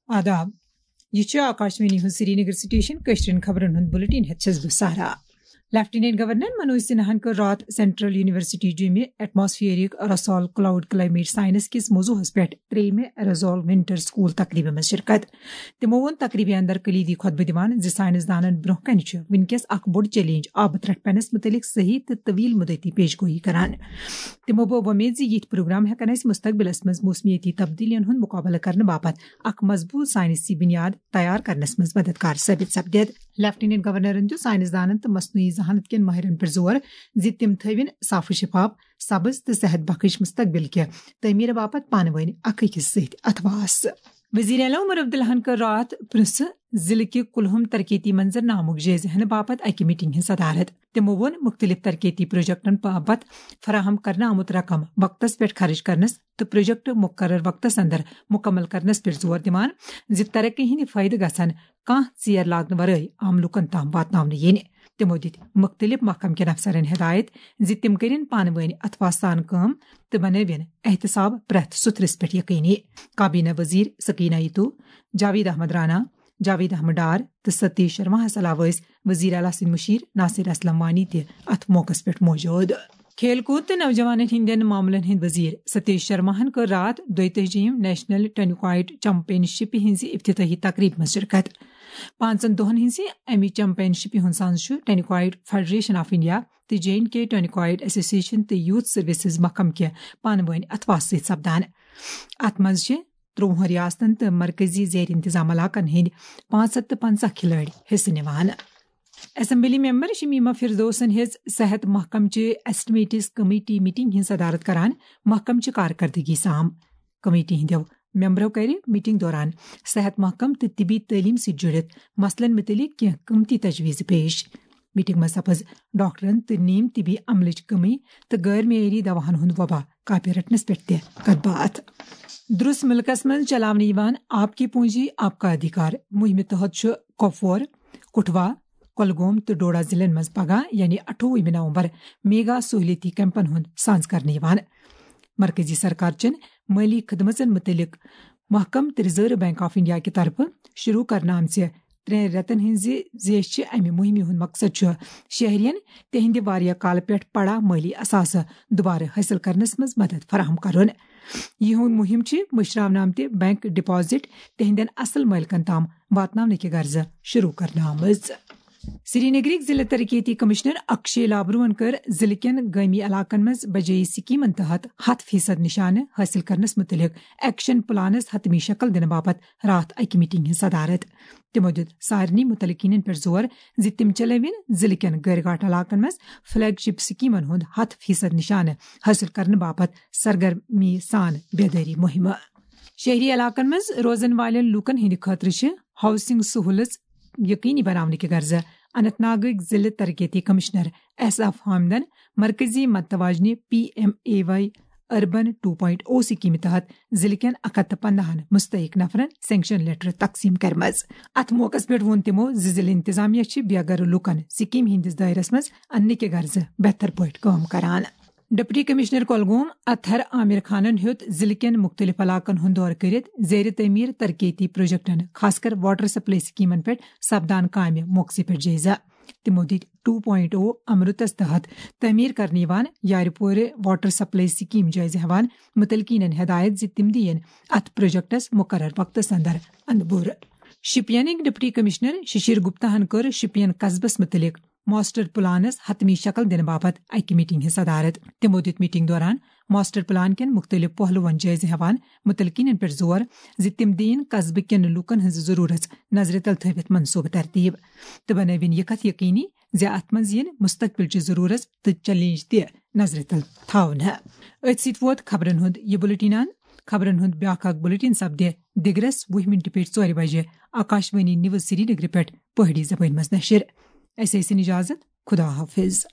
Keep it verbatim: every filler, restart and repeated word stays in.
آداب۔ یہِ چھُ آکاشوانی ہُنٛد سرینگر سٹیشن۔ کٲشرٮ۪ن خبرن ہُنٛد بُلٹن ہٮ۪تھ چھَس بہٕ سہرا۔ لیفٹیننٹ گورنر منوج سنہاہن کٔر راتھ سینٹرل یونیورسٹی جیمہِ atmospheric aerosol cloud climate science کِس موضوعس پٮ۪ٹھ ترٛیٚیِمہِ ایروسول ونٹر سکول تقریبہِ منٛز شرکت۔ تِمو ووٚن تقریبہِ اندر کلیدی خطبہٕ دِوان زِ سائنسدانن برٛونٛہہ کنہِ چھُ وُنکیٚس اکھ بوٚڑ چیلنج آبہٕ ترٛٹھ پینس متعلق صحیح تہٕ طویل مدتی پیش گویی کران۔ تِمو بوٚو وۄمید زِ یِتھۍ پروگرام ہٮ۪کن اَسہِ مستقبلس منٛز موسمیٲتی تبدیلیَن ہُنٛد مقابلہٕ کرنہٕ باپتھ اکھ مضبوط سائنسی بنیاد تیار کرنس منٛز مددگار ثٲبت سپدِتھ۔ لیفٹیننٹ گورنرن دیُت سائنسدانن تہٕ مصنوعی ذہانت کٮ۪ن ماہرن پٮ۪ٹھ زور زِ تِم تھٲوِن صاف و شفاف، سبز تہٕ صحت بخش مستقبل کہِ تعمیٖر باپتھ پانہٕ وٲنۍ اکھ أکِس سۭتۍ اتھواس۔ وزیر اعلیٰ عمر عبداللہن کٔر راتھ پرنس ضلعہٕ کہِ کُلہُم ترقیتی منظرنامُک جٲیزٕ ہٮ۪نہٕ باپتھ اکہِ میٹنگ ہٕنٛز صدارت۔ تِمو ووٚن مُختٔلِف ترقیتی پروجیکٹن باپتھ فراہم کرنہٕ آمُت رقم وقتس پٮ۪ٹھ خرٕچ کرنس تہٕ پروجیکٹ مقرر وقتس اندر مکمل کرنس پٮ۪ٹھ زور دِوان زِ ترقی ہٕنٛدۍ فٲیدٕ گژھن کانٛہہ ژیر لاگنہٕ ورٲے عام لوٗکن تام واتناونہٕ یِنۍ۔ تِمو دِتۍ مُختٔلِف محکمہٕ کٮ۪ن افسرن ہدایت زِ تِم کٔرِن پانہٕ وٲنۍ اتھواس سان کٲم تہٕ بنٲوِن احتساب پرٛٮ۪تھ سُتھرِس پٮ۪ٹھ یقینی۔ کابینہ وزیر سکینہ ایتو، جاوید احمد رانا، جاوید احمد ڈار تہٕ ستیش شرماہس علاوٕ ٲسۍ وزیر اعلیٰ سٕنٛدۍ مشیر ناصر اسلم وانی تہِ اتھ موقعس پٮ۪ٹھ موجود۔ کھیل کوٗد تہٕ نوجوانن ہٕنٛدٮ۪ن معاملن ہٕنٛدۍ وزیر ستیش شرماہن کٔر راتھ دۄیتٲجِہِم نیشنل ٹینکوایٹ چیمپین شپ ہٕنٛزِ افتتاحی تقریبہِ منٛز شرکت۔ پانٛژن دۄہن ہٕنٛزِ امہِ چیمپین شپہِ ہُنٛد سانز چھُ ٹینکوایٹ فیڈریشن آف انڈیا تہٕ جے اینڈ کے ٹینکوایٹ ایسوسیشن تہٕ یوتھ سروسز محکمہٕ کہِ پانہٕ وٲنۍ اتھواس سۭتۍ سپدان۔ اتھ منٛز چھِ ترٛۆوُہن ریاستن تہٕ مرکزی زیر انتظام علاقن ہٕنٛدۍ پانٛژھ ہتھ تہٕ پنٛژاہ کھلٲڑۍ حصہٕ نِوان۔ اسمبلی ممبر شمیمہ فردوسن ہیٚژ صحت محکمہٕ چہِ ایسٹمیٹس کمیٹی میٹنگ ہٕنٛز صدارت کران محکمہٕ چہِ کارکردگی سام۔ کمیٹی ہٕنٛدیو ممبرو کرِ میٹنگ دوران صحت محکمہٕ تہٕ طبی تعلیم سۭتۍ جُڑِتھ مسلن متعلق کینٛہہ قۭمتی تجویز پیش۔ میٹنگ منٛز سپز ڈاکٹرن تہٕ نیم طبی عملٕچ کمی تہٕ غٲر معیٲری دواہن ہُنٛد وبا کاپہِ رٹنس پٮ۪ٹھ تہِ کتھ باتھ۔ درس ملکس منٛز چلاونہٕ یِوان آپ کی پونجی آپ کا ادھیکار مہمہِ تحت چھُ کۄپوور، کٹھوا، کۄلگوم تہٕ ڈوڈا ضلعن منٛز پگاہ یعنی اَٹھووُہمہِ نومبر میگا سہولیتی کیمپن ہُنٛد سانز کرنہٕ یِوان۔ مرکزی سرکار چٮ۪ن مٲلی خدمژن متعلق محکمہٕ تہٕ ریزرو بینک آف انڈیا کہِ طرفہٕ شروع کرنہٕ آمژِ ترٛٮ۪ن رٮ۪تن ہٕنٛزِ زیچھِ امہِ مہمہِ ہُنٛد مقصد چھُ شہرین تِہنٛدِ واریاہ کالہٕ پٮ۪ٹھ پڑا مٲلی اثاثہٕ دوبارٕ حٲصِل کرنس منٛز مدد فراہم کرُن۔ یِہُنٛد مہم چھِ مٔشراونہٕ آمتہِ بینک ڈپازٹ تِہنٛدٮ۪ن اصل مٲلکن تام واتناونہٕ کہِ غرضہٕ شروع کرنہٕ آمٕژ۔ سرینگرٕکۍ ضلع ترقیتی کمشنر اکشے لابروہن کٔر ضلع کٮ۪ن گٲمی علاقن منٛز بجٲیی سکیمن تحت ہتھ فیصد نشانہٕ حٲصِل کرنس متعلق ایکشن پلانس حتمی شکل دِنہٕ باپتھ راتھ اکہِ میٹنگ ہٕنٛز صدارت۔ تِمو دیُت سارنٕے متعلقینن پٮ۪ٹھ زور زِ تِم چلٲوِن ضلع کٮ۪ن غٲر گاٹھ علاقن منٛز فلیگ شپ سکیمن ہُنٛد ہتھ فیصد نشانہٕ حٲصِل کرنہٕ باپتھ سرگرمی سان بیدٲری مہمہٕ۔ شہری علاقن منٛز روزن والٮ۪ن لوٗکن ہٕنٛدِ خٲطرٕ چھِ ہاؤسنگ سہولژ یقینی بناونہٕ کہِ غرضہٕ اننت ناگٕکۍ ضلع ترقیتی کمشنر ایس ایف حامدن مرکزی متوازنہِ P M A Y urban two point O سکیمہِ تحت ضلع کٮ۪ن اکھ ہتھ تہٕ پنداہن مستحق نفرن سینکشن لیٹر تقسیم کرمژ۔ اتھ موقعس پٮ۪ٹھ ووٚن تِمو زِ ضلع انتظامیہ چھِ بے گھر لوٗکن سکیمہِ ہٕنٛدِس دٲیرس منٛز اننہٕ کہِ غرضہٕ بہتر پٲٹھۍ کٲم کران۔ ڈپٹی کمشنر کۄلگوم اطہر عامر خانن ہیوٚت ضلعہٕ کٮ۪ن مُختٔلِف علاقن ہُنٛد دورٕ کٔرِتھ زیر تعمیٖر ترقیتی پروجیکٹن، خاص کر واٹر سپلائی سکیمن پٮ۪ٹھ سپدان کامہِ موقعہٕ پٮ۪ٹھ جٲیزٕ۔ تِمو دِتۍ ٹو پوائنٹ او امرتس تحت تعمیٖر کرنہٕ یِوان یارِ پورِ واٹر سپلائی سکیٖم جٲیزٕ ہٮ۪وان مُتعلقیٖنن ہدایت زِ تِم دِیِن اتھ پروجیکٹس مُقرر وقتس اندر اندپور۔ شپینٕکۍ ڈپٹی کمشنر ششیر گپتاہن کٔر شپین قصبس مُتعلق ماسٹر پلانس حتمی شکل دِنہٕ باپتھ اکہِ میٹنگ ہٕنٛز صدارت۔ تِمو دِیُت میٹنگ دوران ماسٹر پلان کٮ۪ن مُختٔلِف پہلوَن جٲیزٕ ہٮ۪وان مُتعلقیٖنَن پٮ۪ٹھ زور زِ تِم دِیِن قصبہٕ کٮ۪ن لوٗکَن ہٕنٛز ضروٗرت نظرِ تل تھٲوِتھ منصوٗبہٕ ترتیٖب تہٕ بنٲوِن یہِ کتھ یقینی زِ اتھ منٛز یِن مستقبل چہِ ضروٗرت تہٕ چیلنج تہِ نظرِ تل تھاونہٕ۔ أتھۍ سۭتۍ ووت خبرن ہُنٛد یہِ بُلٹن اند۔ خبرن ہُنٛد بیٛاکھ اکھ بُلٹن سپدِ دِگرس وُہ مِنٹہِ پٮ۪ٹھ ژورِ بجہِ آکاشوانی نیوز سرینگرٕ پٮ۪ٹھ پہٲڑی زبٲنۍ منٛز نشر۔ اسہِ ٲسِن اجازت۔ خدا حافظ۔